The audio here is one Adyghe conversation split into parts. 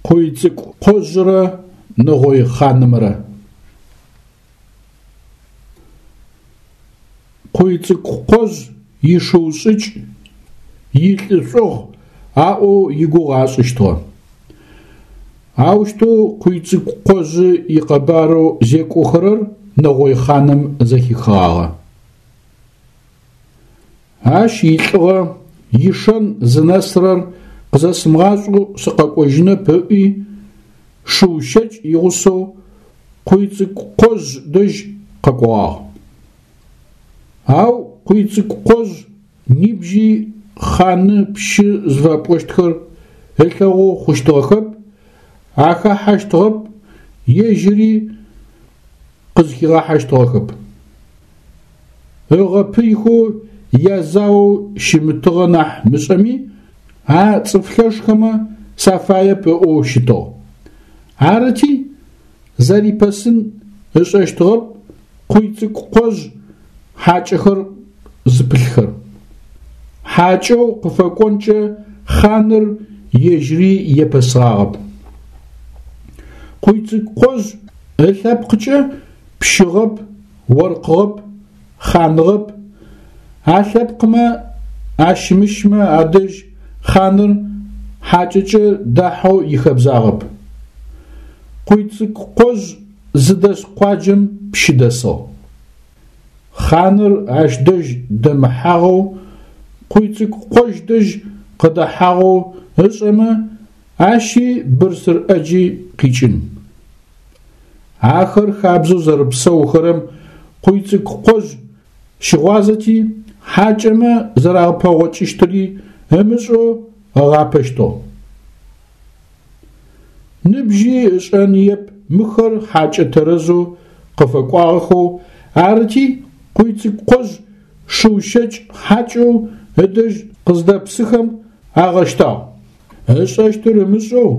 Къуйцӏыкӏу Къожърэ Нэгъой хъанымрэ. Къуйцӏыкӏу Къожъ ишыу шӏыкӏ, илӏышӏугъ аӏоу игугъу ашӏыщтыгъэ. Аущтэу Къуйцӏыкӏу Къожъы икъэбарэу зекӏохэрэр Нэгъой хъаным зэхихыгъагъэ. Ащ илӏыгъэ, ишэн зынэсырэр къызэсымыгъашӏэу сыкъэкӏожьынэп ыӏуи, шыу щэкӏ игъусэу Къуйцӏыкӏу Къожъ дэжь къэкӏогъагъ. Ау Къуйцӏыкӏу Къожъ нибжьи хъаны пщы зыфэпӏощтхэр ылъэгъоу хъущтыгъэхэп, ахахьэщтыгъэп, ежьыри къызхигъахьэщтыгъэхэп. Ыгъэпыйхэу язаоу щымытыгъэ нахь мышӏэми, а цӏыф лъэшхэмэ сафаеп ыӏоу щытыгъ. Арыти, зэрипэсын ышӏэщтыгъэп Къуйцӏыкӏу Къожъ хьакӏэхэр зыпылъхэр. Хьакӏэу къыфэкӏонкӏэ хъаныр ежьыри епэсыгъагъэп. Къуйцӏыкӏу Къожъ ылъэпкъыкӏэ пщыгъэп, оркъыгъэп, хъаныгъэп, а лъэпкъмэ ащымыщмэ адэжь хъаныр хьакӏэкӏэ дахьэу ихэбзагъэп. Къуйцӏыкӏу Къожъ зыдэс къуаджэм пщы дэсыгъ. Хъаныр ащ дэжь дэмыхьагъэу, Къуйцӏыкӏу Къожъ дэжь къыдэхьагъэу ышӏэмэ, ащи бырсыр ӏэджи къикӏын. Ахэр хабзэу зэрэпсэухэрэм Къуйцӏыкӏу Къожъ щыгъуазэти, хьакӏэмэ зэрапэгъокӏыщтыри ымышӏэу ыгъапэщтыгъ. Ныбжьи ышӏэныеп мыхэр хьакӏэ тэрэзэу къыфэкӏуагъэхэу, арыти, Къуйцӏыкӏу Къожъ шыу щэкӏ хьакӏэу ыдэжь къыздэпсыхэм агъэщтагъ. Ышӏэщтыр ымышӏэу,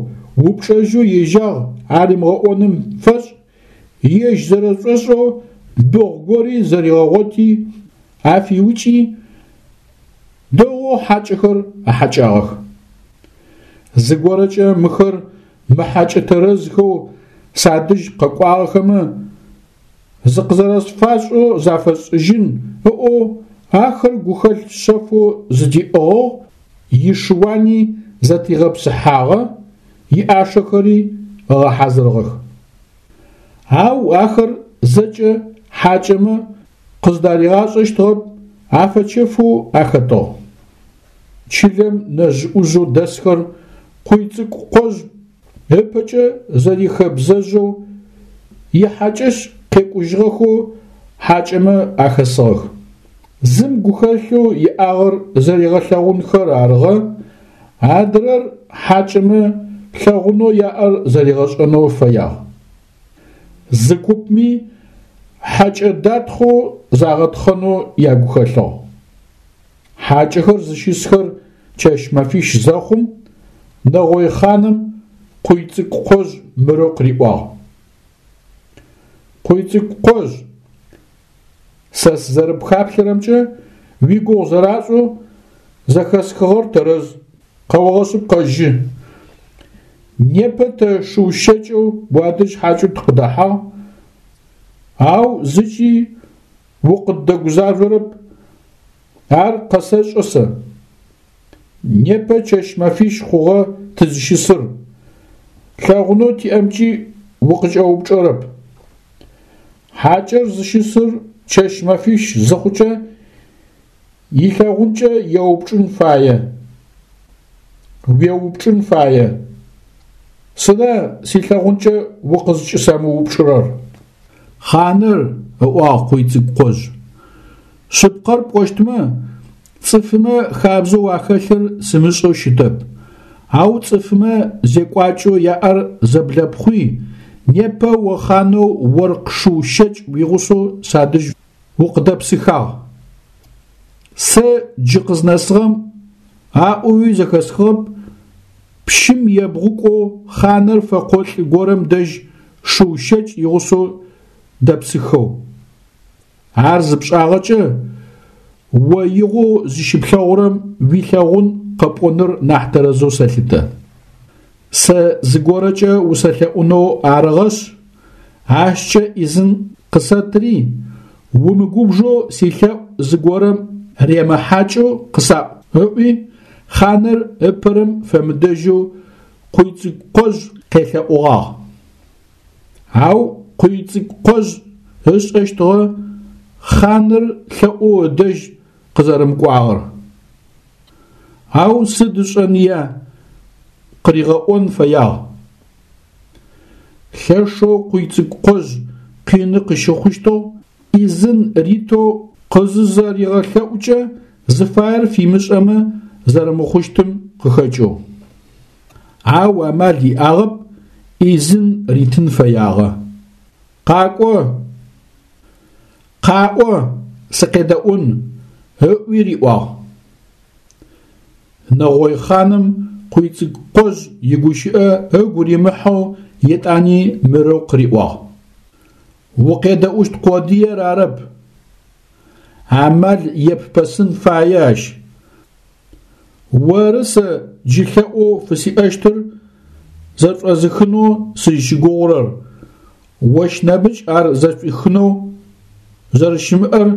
упчӏэжьэу ежьагъ аримыгъэӏоным фэшӏ, ежь зэрэшӏошӏэу быгъу гори зэригъэгъоти, афиукӏи, дэгъоу хьакӏэхэр ыхьэкӏагъэх. Зыгорэкӏэ мыхэр мыхьакӏэ тэрэзхэу садэжь къэкӏуагъэхэмэ, зыкъызэрэсфашӏэу зафэсшӏыжьын ыӏоу ахэр гухэлъ шъэфэу зыдиӏыгъыгъ, ишыуани зэтыригъэпсыхьагъэ, иӏашэхэри ыгъэхьазырыгъэх. Ау ахэр зэкӏэ хьакӏэмэ къыздаригъашӏэщтыгъэп, афэчэфэу ахэтыгъ. Чылэм нэжъ-ӏужъэу дэсхэр Къуйцӏыкӏу Къожъ ыпэкӏэ зэрихэбзэжьэу ихьакӏэщ къекӏужьыгъэхэу хьакӏэмэ ахэсыгъэх. Зым гухэлъэу иӏагъэр зэригъэлъэгъунхэр арыгъэ, адрэр хьакӏэмэ лъэгъунэу яӏэр зэригъэшӏэнэу фэягъ. Зы купми хьэкӏэ датхъэу загъэтхъэнэу ягухэлъыгъ. Хьакӏэхэр зыщысхэр чэщ-мэфищ зэхъум, Нэгъой хъаным Къуйцӏыкӏу Къожъ мырэу къыриӏуагъ: Къуйцӏыкӏу Къожъ, сэ сызэрыпхаплъэрэмкӏэ, уигугъу зэрашӏэу зэхэсхыгъэр тэрэз, къэогъэшъыпкъэжьы. Непэ тэ шыу щэкӏэу уадэжь хьакӏэу тыкъыдэхьагъ, ау зыкӏи укъыддэгузажъорэп, ар къэсэшӏэ сэ. Непэ чэщ-мэфищ хъугъэ тызыщысыр, лъэгъунэу тиӏэмкӏи укъыкӏэупчӏэрэп. Хьакӏэр зыщысыр чэщ-мэфищ зыхъукӏэ, илъэгъункӏэ еупчӏын фае. Уеупчӏын фае. Сыда силъэгъункӏэ укъызкӏысэмыупчӏырэр? Хъаныр, ыӏуагъ Къуйцӏыкӏу Къожъ, шъыпкъэр пӏощтмэ, цӏыфымэ хабзэу ахэлъыр сымышӏэу щытэп, ау цӏыфымэ зекӏуакӏэу яӏэр зэблэпхъуи, непэ о хъанэу оркъ шыу щэкӏ уигъусэу садэжь укъыдэпсыхагъ. Сэ джы къызнэсыгъэм аӏоуи зэхэсхыгъэп, пщым ебгъукӏоу хъаныр фэкъолӏ горэм дэжь шыу щэкӏ игъусэу дэпсыхэу. Ар зыпшӏагъэкӏэ, о игъоу зыщыплъэгъурэм уилъэгъун къэпӏоныр нахь тэрэзэу сэлъытэ. Сэ зыгорэкӏэ усэлъэӏунэу арыгъэшъ, ащкӏэ ӏизын къысэтри, умыгубжэу силъэӏу зыгорэм ремыхьакӏэу къысаӏу, ыӏуи, хъаныр ыпэрэм фэмыдэжьэу Къуйцӏыкӏукъожъ къелъэӏугъагъ. Ау Къуйцӏыкӏукъожъ ышӏэщтыгъэ хъаныр лъэӏоу ыдэжь къызэрэмыкӏуагъэр. Ау сыд ышӏэныя, къыригъэӏон фэягъ. Лъэшэу Къуйцӏыкӏукъожъ къины къыщыхъущтыгъ, ӏизын ритэу къызызэригъэлъэӏукӏэ зыфаер фимышӏэмэ зэрэмыхъущтым къыхэкӏэу. Ау амал иӏагъэп, ӏизын ритын фэягъэ. Къакӏо! Къаӏо, сыкъедэӏун, ыӏуи риӏуагъ. Нэгъой хъаным Къуйцӏыкӏукъожъ игущыӏэ ыгу римыхьэу етӏани мырэу къыриӏуагъ. Укъедэӏущт къодыер арэп, амал еппэсын фае ащ. Оры сэ джы лъэӏоу фысиӏэщтыр зэшӏозыхынэу сызщыгугъурэр, ощ нэмыкӏ ар зэшӏуихынэу зэрэщымыӏэр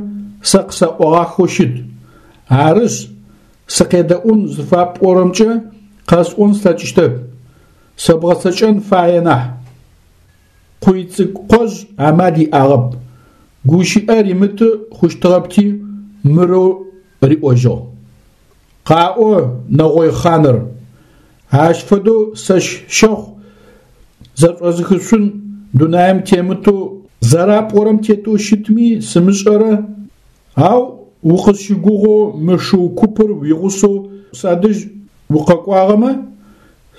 сэ къысаӏогъахэу щыт. Арышъ, сыкъедэӏун зыфапӏорэмкӏэ къэсӏон слъэкӏыщтэп, сэ бгъэцэкӏэн фае нахь. Къуйцӏыкӏукъожъ амал иӏагъэп, гущыӏэ римыты хъущтыгъэпти, мырэу риӏожьыгъ. Къаӏо, нэгъой хъаныр, ащ фэдэу сэщ щэхъу зэшӏозыхышъун дунаим темытэу зэрапӏорэм тетэу щытми сымышӏэрэ, ау укъысщыгугъэу мы шыу купыр уигъусэу садэжь укъэкӏуагъэмэ,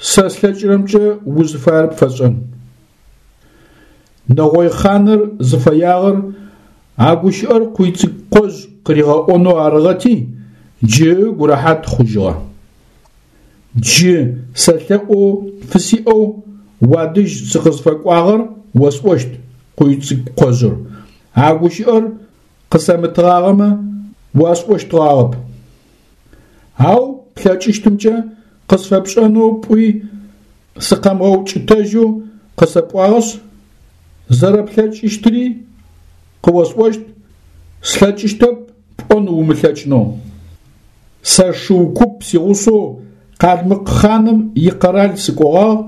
сэ слъэкӏырэмкӏэ узыфаер пфэсшӏэн. Нэгъой хъаныр зыфэягъэр а гущыӏэр Къуйцӏыкӏукъожъ къыригъэӏонэу арыгъэти, джы ыгу рэхьат хъужьыгъэ. Джы сэ лъэӏоу фысиӏэу уадэжь сыкъызфэкӏуагъэр осӏощт, Къуйцӏыкӏукъожъыр. А гущыӏэр къысэмытыгъагъэмэ, уасӏощтыгъагъэп. Ау плъэкӏыщтымкӏэ къысфэпшӏэнэу пӏуи, сыкъэмыгъэукӏытэжьэу къысэпӏуагъэшъ, зэрэплъэкӏыщтыри къыосӏощт, слъэкӏыщтэп пӏон умылъэкӏынэу. Сэ шыу куп сигъусэу Къалмыкъ хъаным икъэрал сыкӏогъагъ,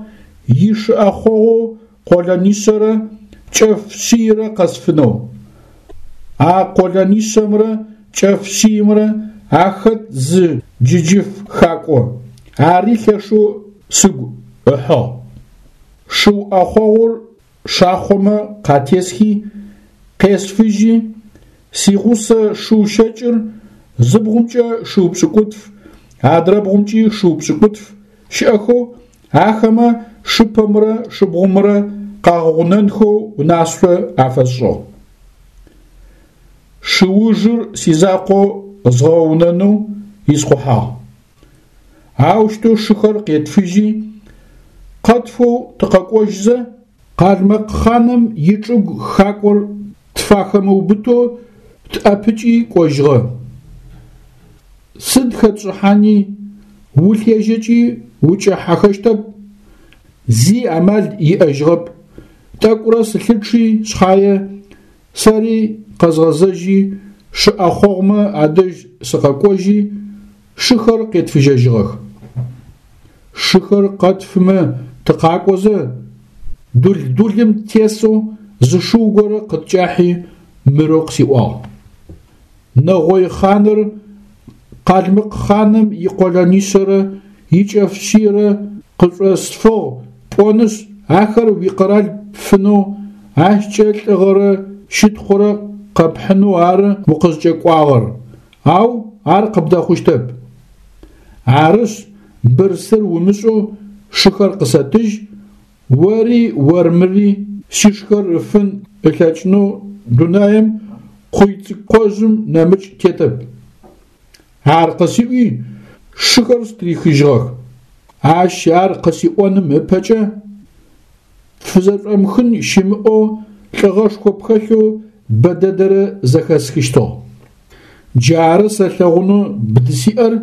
ишы ӏэхъогъоу къолэнишъэрэ кӏэф шъийрэ къэсфынэу. А къолэнишъэмрэ кӏэф шъиймрэ ахэт зы джыджыф хакӏо, ари лъэшэу сыгу ыхьыгъ. Шыу ӏэхъогъур шахъомэ къатесхи, къесфыжьи, сигъусэ шыу щэкӏыр зы бгъумкӏэ шыу пшӏыкӏутф, адрэ бгъумкӏи шыу пшӏыкӏутф щыӏэхэу, ахэмэ шыпэмрэ шыбгъумрэ къагъэгъунэнхэу унашъо афэсшӏыгъ. Шыужыр сизакъоу згъэунэнэу исхъухьагъ. Аущтэу шыхэр къетфыжьи, къэтфэу тыкъэкӏожьзэ, Къалмыкъ хъаным ичӏыгу хакӏор тфахэмыубытэу тӏэпыкӏи кӏожьыгъэ. Сыд хэтшӏыхьани, улъежьэкӏи укӏэхьахэщтэп, зи амал иӏэжьыгъэп, тӏэкӏурэ сылъычъи шъхьае, сэри къэзгъэзэжьи, шы ӏэхъогъумэ адэжь сыкъэкӏожьи, шыхэр къетфыжьэжьыгъэх. Шыхэр къэтфымэ тыкъакӏозэ, Дул-Дулым тесэу зы шыу горэ къыткӏахьи мырэу къысиӏуагъ. Нэгъой хъаныр Къалмыкъ хъаным икъолэнишъэрэ икӏэф шъийрэ къышӏосфыгъ пӏонышъ, ахэр уикъэрал пфынэу, ащкӏэ лӏыгъэрэ щытхъурэ къэпхьынэу ары укъызкӏэкӏуагъэр, ау ар къыбдэхъущтэп. Арышъ, бырсыр умышӏэу шыхэр къысэтыжь, ори ормыри сишхэр ыфын ылъэкӏынэу дунаим Къуйцӏыкӏукъожъым нэмыкӏ тетэп. Ар къысиӏуи, шыхэр стырихыжьыгъэх. Ащ ар къысиӏоным ыпэкӏэ пфызэшӏомыхын щымыӏэу лӏыгъэшхо пхэлъэу бэ дэдэрэ зэхэсхыщтыгъ. Джары сэ лъэгъунэу бдысиӏэр,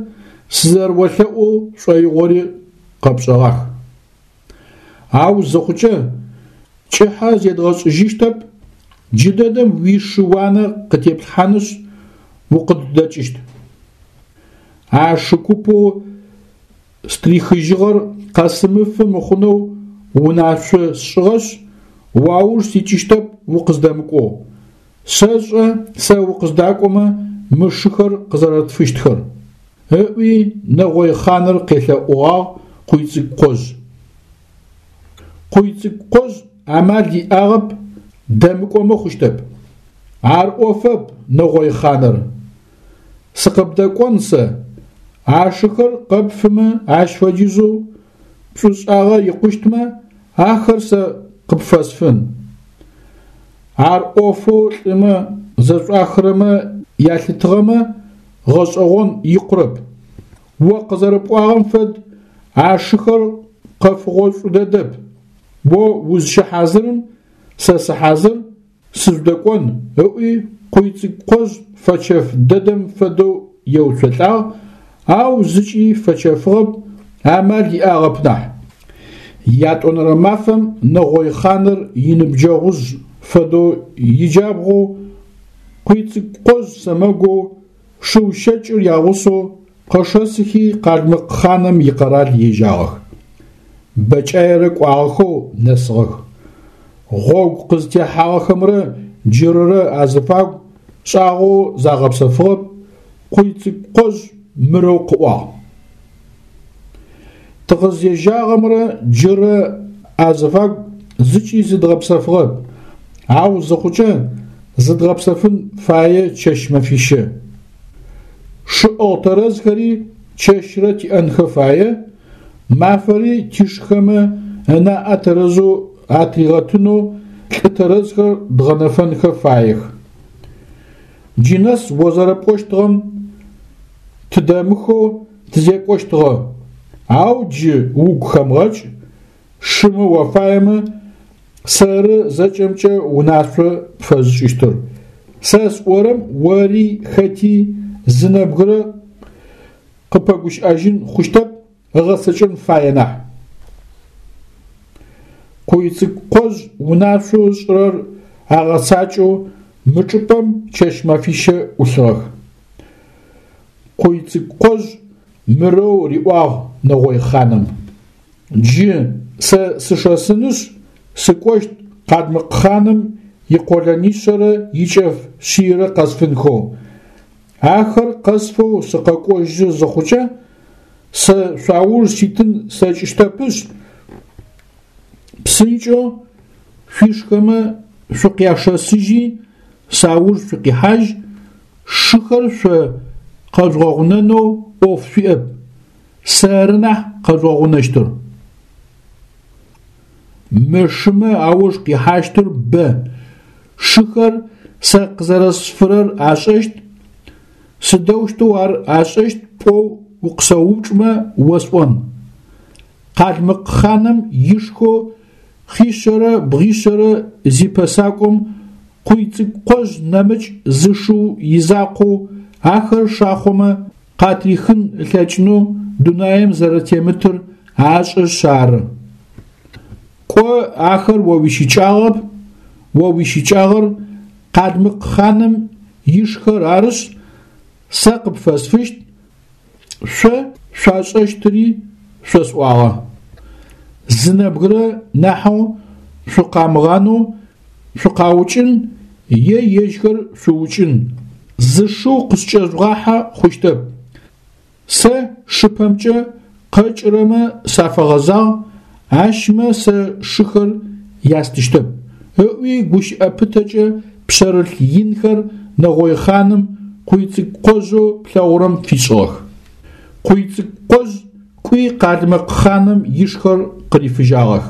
сызэрэолъэӏоу шӏоигъори къэпшӏэгъах. Ау зыхъукӏэ, кӏыхьэ зедгъэшӏыжьыщтэп, джыдэдэм уишы уанэ къытеплъхьанышъ, укъыддэкӏыщт. А шы купэу стрихыжьыгъэр къэсымыфы мыхъунэу унашъо сшӏыгъэшъ, уауж сикӏыщтэп укъыздэмыкӏоу. Сэшӏэ сэ укъыздакӏомэ мы шыхэр къызэрэтфыщтхэр, ыӏуи нэгъой хъаныр къелъэӏугъагъ Къуйцӏыкӏукъожъ. Къуйцӏыкӏукъожъ амал иӏагъэп, дэмыкӏомэ хъущтэп. Ар ӏофэп, нэгъой хъаныр. Сыкъыбдэкӏон сэ, а шыхэр къэпфымэ ащ фэдизэу пшӏушӏагъэ икъущтмэ, ахэр сэ къыпфэсфын. Ар ӏофэу лӏымэ зэшӏуахырэмэ ялъытыгъэмэ, гъэшӏэгъон икъурэп. О къызэрэпӏуагъэм фэд, а шыхэр къэфыгъошӏу дэдэп. О узщыхьазырым сэ сыхьазыр, сыжъудэкӏон, ыӏуи Къуйцӏыкӏукъожъ фэчэф дэдэм фэдэу еуцолӏагъ, ау зыкӏи фэчэфыгъэп, амал иӏагъэп нахь. Ятӏонэрэ мафэм нэгъой хъаныр иныбджэгъужъ фэдэу иджабгъоу, Къуйцӏыкӏукъожъ сэмэгоу, шыу щэкӏыр ягъусэу къэшэсыхи къалмыкъ хъаным икъэрал ежьагъэх. Бэкӏаерэ кӏуагъэхэу нэсыгъэх. Гъогу къызтехьагъэхэмрэ джырырэ азыфагу шӏагъоу загъэпсэфыгъэп, Къуйцӏыкӏукъожъ мырэу къыӏуагъ. Тыкъызежьагъэмрэ джырэ азыфагу зыкӏи зыдгъэпсэфыгъэп, ау зыхъукӏэ зыдгъэпсэфын фае чэщ-мэфищэ. Шыӏыгъ тэрэзхэри чэщрэ тиӏэнхэ фае, мафэри тишхэмэ ынаӏэ тэрэзэу атригъэтынэу лӏы тэрэзхэр дгъэнэфэнхэ фаех. Джы нэс о зэрэпӏощтыгъэм тыдэмыхэу тызекӏощтыгъэ, ау джы угу хэмыгъэкӏ, шымэ уафаемэ, сэры зэкӏэмкӏэ унашъо пфэзышӏыщтыр. Сэ сӏорэм ори хэти зы нэбгырэ къыпэгущыӏэжьын хъущтэп, ыгъэцэкӏэн фае нахь. Къуйцӏыкӏукъожъ унашъоу ышӏырэр агъэцакӏэу мы чӏыпӏэм чэщ-мэфищэ ӏулъыгъэх. Къуйцӏыкӏукъожъ мырэу риӏуагъ нэгъой хъаным: Джы сэ сышэсынышъ, сыкӏощт къалмыкъ хъаным икъолэнишъэрэ икӏэф шъийрэ къэсфынхэу. Ахэр къэсфэу сыкъэкӏожьы зыхъукӏэ, сэ шъуауж ситын слъэкӏыщтэпышъ, псынкӏэу шъуишхэмэ шъукъяшэсыжьи, сауж шъукъихьажь, шыхэр шъо къэжъугъэгъунэнэу ӏоф шъуиӏэп, сэры нахь къэжъугъэгъунэщтыр. Мы шымэ ауж къихьащтыр бэ, шыхэр сэ къызэрэсфырэр ашӏэщт, сыдэущтэу ар ашӏэщт пӏоу укъысэупчӏмэ осӏон. Къалмыкъ хъаным ишхэу хъишъэрэ бгъишъэрэ зипэсакӏом Къуйцӏыкӏукъожъ нэмыкӏ зы шыу изакъоу ахэр шахъомэ къатрихын ылъэкӏынэу дунаим зэрэтемытыр ашӏэшъ ары. Кӏо, ахэр о уищыкӏагъэп, о уищыкӏагъэр къалмыкъ хъаным ишхэр арышъ, сэ къыпфэсфыщт, шъо шъуашӏэщтыри шъосӏуагъэ. Зы нэбгырэ нахьэу шъукъамыгъанэу шъукъаукӏын е ежьхэр шъуукӏын, зы шыу къыскӏэжъугъахьэ хъущтэп. Сэ шыпэмкӏэ къэкӏырэмэ сафэгъэзагъ, ащмэ сэ шыхэр ястыщтэп, ыӏуи гущыӏэ пытэкӏэ пшъэрылъ инхэр нэгъой хъаным Къуйцӏыкӏукъожъэу плъэгъурэм фишӏыгъэх. Къуйцӏыкӏукъожъ кӏуи къалмыкъ хъаным ишхэр къырифыжьагъэх.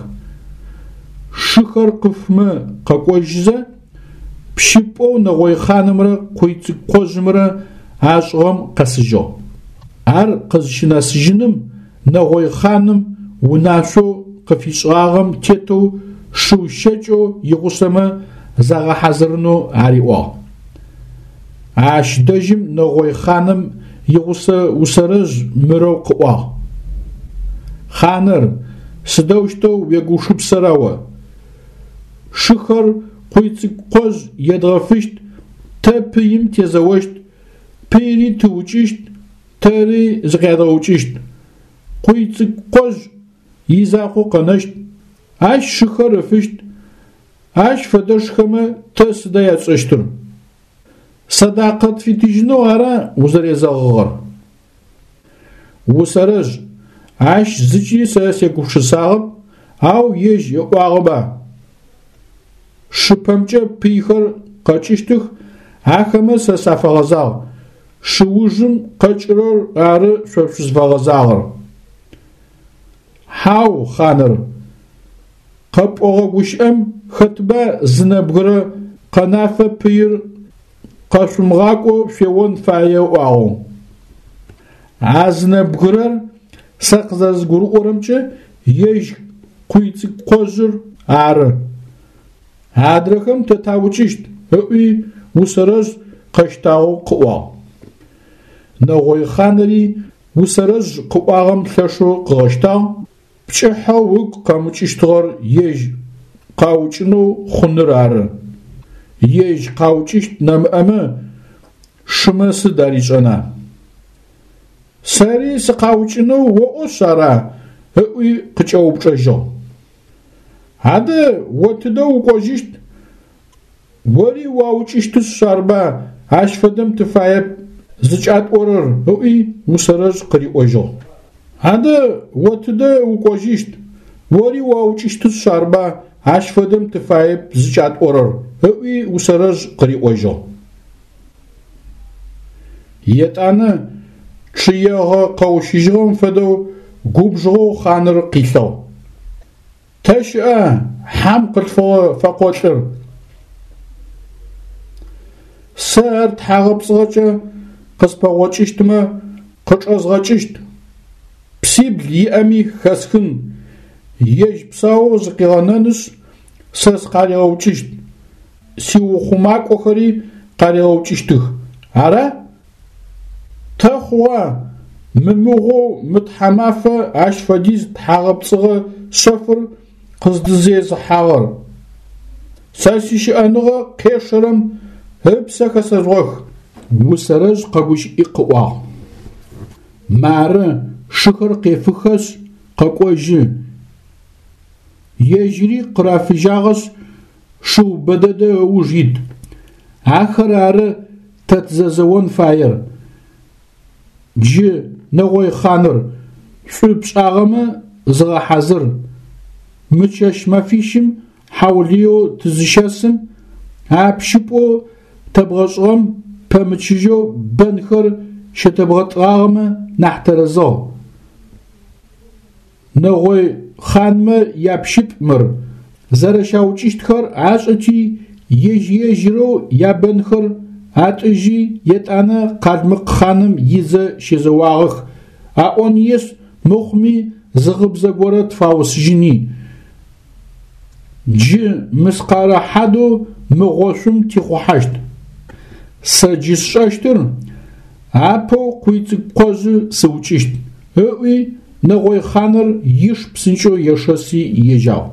Шыхэр къыфмэ къэкӏожьызэ, пщыпӏэу нэгъой хъанымрэ Къуйцӏыкӏукъожъымрэ ашӏыгъэм къэсыжьыгъ. Ар къызщынэсыжьыным нэгъой хъаным унашъоу къыфишӏыгъагъэм тетэу шыу щэкӏэу игъусэмэ загъэхьазырынэу ариӏуагъ. Ащ дэжьым нэгъой хъаным игъусэ Усэрэжъ мырэу къыӏуагъ: Хъаныр! сыдэущтэу уегушыпсэра о? Шыхэр Къуйцӏыкӏу-Къожъ едгъэфыщт, тэ пыим тезэощт, пыйри тыукӏыщт, тэри зыкъядгъэукӏыщт. Къуйцӏыкӏу-Къожъ изакъоу къэнэщт, ащ шыхэр ыфыщт, ащ фэдэшхэмэ тэ сыда ятшӏэщтыр? Сэдакъэ тфитыжьынэу ара узэрезэгъыгъэр? Усэрэжъ, ащ зыкӏи сэ сегупшысагъэп, ау ежь ыӏуагъэба. Шыпэмкӏэ пыйхэр къэкӏыщтых, ахэмэ сэ сафэгъэзагъ, шы ужым къэкӏырэр ары шъо шъузфэгъэзагъэр. Хьау, хъаныр, къэпӏогъэ гущыӏэм хэтба зы нэбгырэ къэнафэ пыир къэшъумыгъакӏоу шъуеон фае ыӏуагъэу. А зы нэбгырэр сэ къызэрэзгурыӏорэмкӏэ ежь Къуйцӏыкӏу-Къожъыр ары. Адрэхэм тэ таукӏыщт, ыӏуи Усэрэжъ къэщтагъэу къыӏуагъ. Нэгъой хъаныри Усэрэжъ къыӏуагъэм лъэшэу къыгъэщтагъ, пкӏыхьэу ыгу къэмыкӏыщтыгъэр ежь къаукӏынэу хъуныр ары. Ежь къаукӏыщт нэмыӏэмэ, шымэ сыд аришӏэна? Сэри сыкъаукӏынэу оӏошъ ара? ыӏуи къыкӏэупчӏэжьыгъ. Адэ о тыдэ укӏожьыщт? Ори уаукӏыщтышъ арба ащ фэдэм тыфаеп зыкӏатӏорэр, ыӏуи Усэрэжъ къыриӏожьыгъ. Адэ о тыдэ укӏожьыщт? Ори уаукӏыщтышъ арба ащ фэдэм тыфаеп зыкӏатӏорэр, ыӏуи Усэрэжъ къыриӏожьыгъ. Етӏанэ чъыегъэ къэущыжьыгъэм фэдэу губжыгъэу хъаныр къилъыгъ. Тэ щыӏа хьам къылъфыгъэ фэкъолӏыр? Сэ ар тхьагъэпцӏыгъэкӏэ къыспэгъокӏыщтмэ, къычӏэзгъэкӏыщт. Псибл иӏэми хэсхын, ежь псаоу зыкъигъэнэнышъ, сэ сыкъаригъэукӏыщт, сиухъумакӏохэри къаригъэукӏыщтых. Ара? Тэ хъугъа мымыгъоу мы тхьамафэ ащ фэдиз тхьагъэпцӏыгъэ шъэфыр къыздызезыхьагъэр? Сэ сищыӏэныгъэ къешэрэм ыпсэ хэсэжъугъэх! Усэрэжъ къэгущыӏи къыӏуагъ. Мары, шыхэр къефыхэшъ, къэкӏожьы. Ежьыри къырафыжьагъэшъ, шыу бэдэдэ ыуж ит. Ахэр ары тэ тызэзэон фаер. Джы, нэгъой хъаныр, шӏу пшӏагъэмэ зыгъэхьазыр. Мы чэщ-мэфищым хьаулыеу тызыщэсым, а пщыпӏэу тэбгъэшӏыгъэм пэмычыжьэу бэнхэр щэтэбгъэтӏыгъагъэмэ нахь тэрэзыгъ. Нэгъой хъанмэ япщыпӏ мыр, зэрэщаукӏыщтхэр ашӏэти, ежь-ежьырэу ябэнхэр атӏыжьи, етӏанэ къалмыкъ хъаным идзэ щезэуагъэх, аӏониешъ мыхъуми зы гъыбзэ горэ тфаусыжьыни. Джы мыскъарэ хьадэу мы гъошъум тихъухьащт. Сэ джы сшӏэщтыр, апэу Къуйцӏыкӏу-Къожъы сыукӏыщт, ыӏуи нэгъой хъаныр иш псынкӏэу ешэси ежьагъ.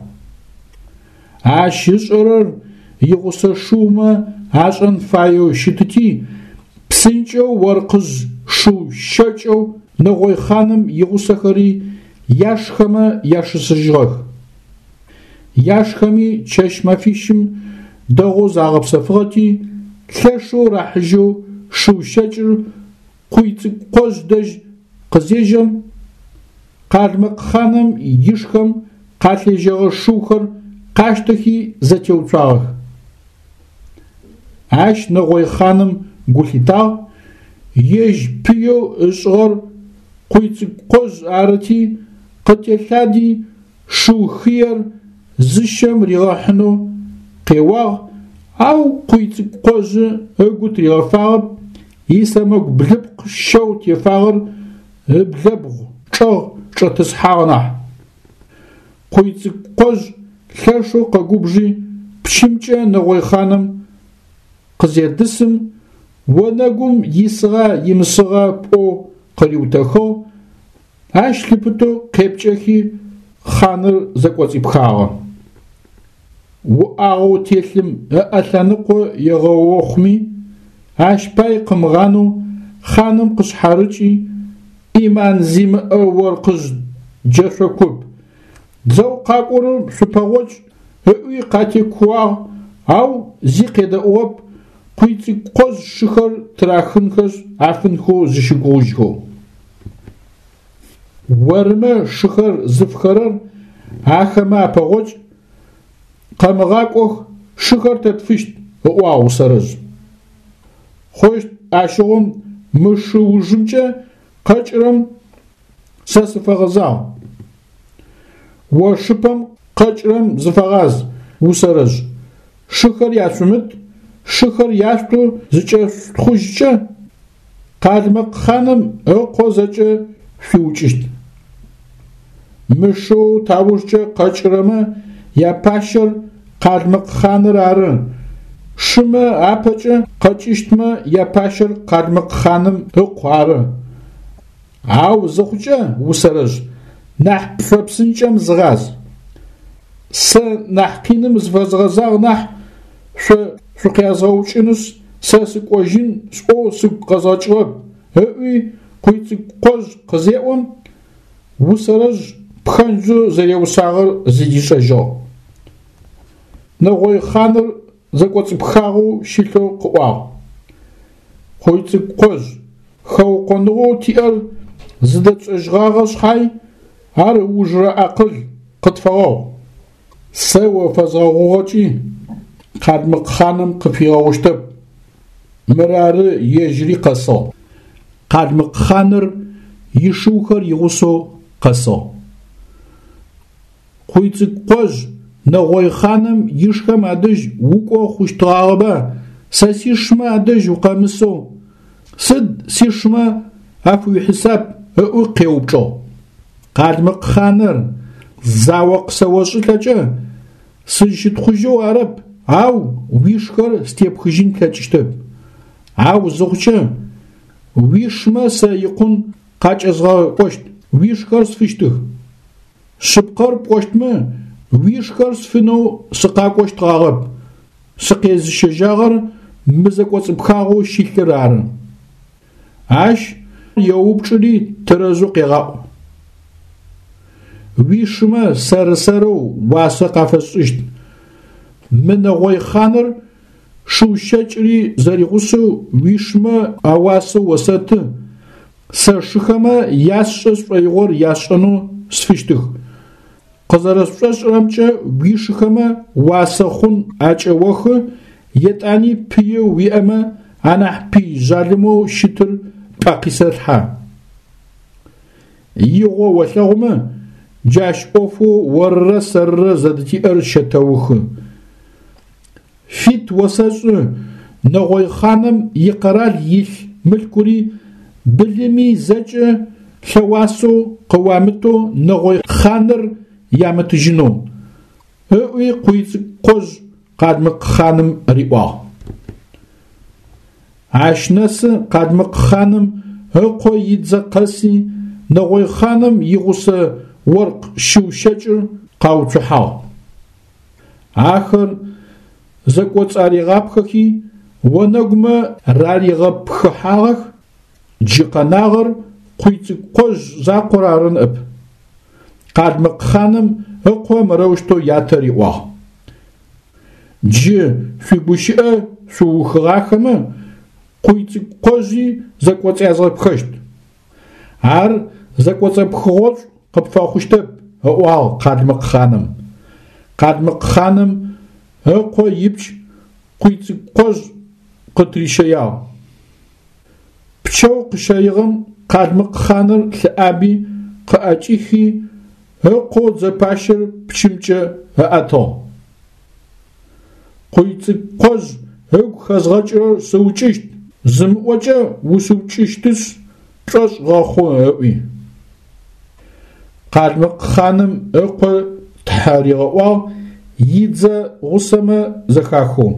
Ащ ышӏэрэр игъусэ шыумэ ашӏэн фаеу щытыти, псынкӏэу оркъыжъ шыу щэкӏэу нэгъой хъаным игъусэхэри яшхэмэ яшэсыжьыгъэх. Яшхэми чэщ-мэфищым дэгъоу загъэпсэфыгъэти, лъэшэу рахьыжьэу шыу щэкӏыр Къуйцӏыкӏу-Къожъ дэжь къызежьэм, къалмыкъ хъаным ишхэм къалъежьэгъэ шыухэр къащтэхи зэтеуцуагъэх. Ащ нэгъой хъаным гу лъитагъ, ежь пыеу ышӏыгъэр Къуйцӏыкӏу-Къожъ арыти, къытелъади шыу хыер зыщэм ригъэхьынэу къеуагъ, ау Къуйцӏыкӏу-Къожъы ыгу тыригъэфагъэп, исэмэгу блыпкъ щэу тефагъэр ыблэбгъу чӏэгъ чӏэтӏысхьагъ нахь. Къуйцӏыкӏу-Къожъ лъэшэу къэгубжи, пщымкӏэ нэгъой хъаным къызедысым, онэгум исыгъа имысыгъа пӏоу къыриутэхыгъ, ащ лъыпытэу къепкӏэхи, хъаныр зэкӏоцӏипхагъэ. Уӏагъэу телъым ыӏэ лъэныкъо егъэохъуми, ащ пай къымыгъанэу хъаным къышъхьарыкӏи, ӏиман зимыӏэ оркъыжъ джэшъо куп, дзэу къакӏорэм шъупэгъокӏ ыӏуи къатекууагъ, ау зи къедэӏугъэп, Къуйцӏыкӏукъожъ шыхэр тырахынхэшъ афынхэу зыщыгугъыжьхэу. Ормэ шыхэр зыфхэрэр ахэмэ апэгъокӏ, къэмыгъакӏох, шыхэр тэ тфыщт, ыӏуагъ Усэрэжъ. Хъущт ащыгъум мы шы ужымкӏэ къэкӏырэм сэ сыфэгъэзагъ. О шыпэм къэкӏырэм зыфэгъаз, Усэрэжъ. Шыхэр яшъумыт, шыхэр яшъутэу зыкӏэшъутхъужькӏэ, къалмыкъ хъаным ыкъо зэкӏэ шъуиукӏыщт. Мы шыу таужкӏэ къэкӏырэмэ япащэр къалмыкъ хъаныр ары, шымэ апэкӏэ къэкӏыщтмэ япащэр къалмыкъ хъаным ыкъу ары. Ау зыхъукӏэ, Усэрэжъ, нахь пфэпсынкӏэм зыгъаз. Сэ нахь къиным зыфэзгъэзагъ нахь, шъо шъукъязгъэукӏынышъ, сэ сыкӏожьын сӏоу сыгу къэзгъэкӏыгъэп, ыӏуи Къуйцӏыкӏукъожъ къызеӏом, Усэрэжъ пхэнджэу зэреусагъэр зыдишӏэжьыгъ. Нэгъой хъаныр зэкӏоцӏыпхагъэу щылъэу къыӏуагъ. Къуйцӏыкӏукъожъ, хэукъоныгъэу тиӏэр зыдэтшӏэжьыгъагъэ шъхьай, ар ыужырэ акъыл къытфэгъэгъу. Сэ о фэзгъэгъугъэкӏи, къалмыкъ хъаным къыпфигъэгъущтэп. Мырары ежьыри къэсыгъ. Къалмыкъ хъаныр ишыухэр игъусэу къэсыгъ. Къуйцӏыкӏукъожъ нэгъой хъаным ишхэм адэжь укӏо хъущтыгъагъэба, сэ сишмэ адэжь укъэмысэу, сыд сишмэ афыуихьисап ыӏуи къеупчӏыгъ. Къалмыкъ хъаныр, зао къысэошӏылӏэкӏэ, сызщытхъужьэу арэп, ау уишхэр степхыжьын плъэкӏыщтэп. Ау зыхъукӏэ, уишмэ сэ икъун къакӏэзгъэкӏощт, уишхэр сфыщтых. Шъыпкъэр пӏощтмэ, уишхэр сфынэу сыкъакӏощтгъагъэп, сыкъезыщэжьагъэр мы зэкӏоцӏыпхагъэу щылъыр ары. Ащ еупчӏыри тэрэзэу къегъаӏу. Уишымэ сэр-сэрэу уасэ къафэсшӏыщт. Мы нэгъой хъаныр шыу щэкӏыри зэригъусэу уишымэ ауасэ осэты, Сэ сшыхэмэ ясшӏэ сшӏоигъор ясшӏэнэу сфыщтых. Къызэрэсшӏошӏырэмкӏэ, уишыхэмэ уасэ хъун акӏэохы, етӏани пыеу уиӏэмэ анахь пый жъалымэу щытыр пӏэ къисэлъхьэ. Игъо олъэгъумэ, джащ ӏофэу орырэ сэрырэ зэдытиӏэр щэтэухы. Фит осэшӏы, нэгъой хъаным икъэрал илъ мылъкури былыми зэкӏэ лъэуасэу къыуамытэу нэгъой хъаныр ямытыжьынэу, ыӏуи Къуйцӏыкӏукъожъ къалмыкъ хъаным риӏуагъ. Ащ нэсы къалмыкъ хъаным ыкъо идзэ къэси нэгъой хъаным игъусэ оркъ шыу щэкӏыр къауцухьагъ. Ахэр зэкӏоцӏаригъапхэхи, онэгумэ раригъэпхыхьагъэх, джы къэнагъэр Къуйцӏыкӏукъожъ закъор ары ныӏэп. Къалмыкъ хъаным ыкъо мырэущтэу ятэ риӏуагъ. Джы шъуигущыӏэ шъуухыгъахэмэ, Къуйцӏыкӏукъожъи зэкӏоцӏязгъэпхэщт. Ар зэкӏоцӏэпхыгъошӏу къыпфэхъущтэп, ыӏуагъ къалмыкъ хъаным. Къалмыкъ хъаным ыкъо ипч Къуйцӏыкӏукъожъ къытырищэягъ. Пчэу къыщэигъэм къалмыкъ хъаныр лъыӏаби къыӏэкӏихи, ыкъоу дзэпащэр пчымкӏэ ыӏэтыгъ. Къуйцӏыкӏукъожъ ыгу хэзгъэкӏырэр сыукӏыщт, зымыӏокӏэ усыукӏыщтышъ, пшӏошъ гъэхъу, ыӏуи. Къалмыкъ хъаным ыкъо тхьэ ригъэӏуагъ идзэ гъусэмэ зэхахэу.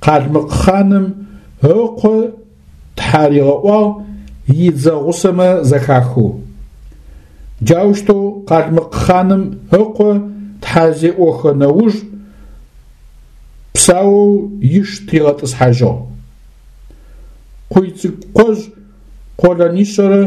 Къалмыкъ хъаным ыкъо тхьэ ригъэӏуагъ идзэ гъусэмэ зэхахэу. Джаущтэу къалмыкъ хъаным ыкъо тхьэ зеӏохэ нэуж псаоу иш тригъэтӏысхьажьыгъ. Къуйцӏыкӏукъожъ къолэнишъэрэ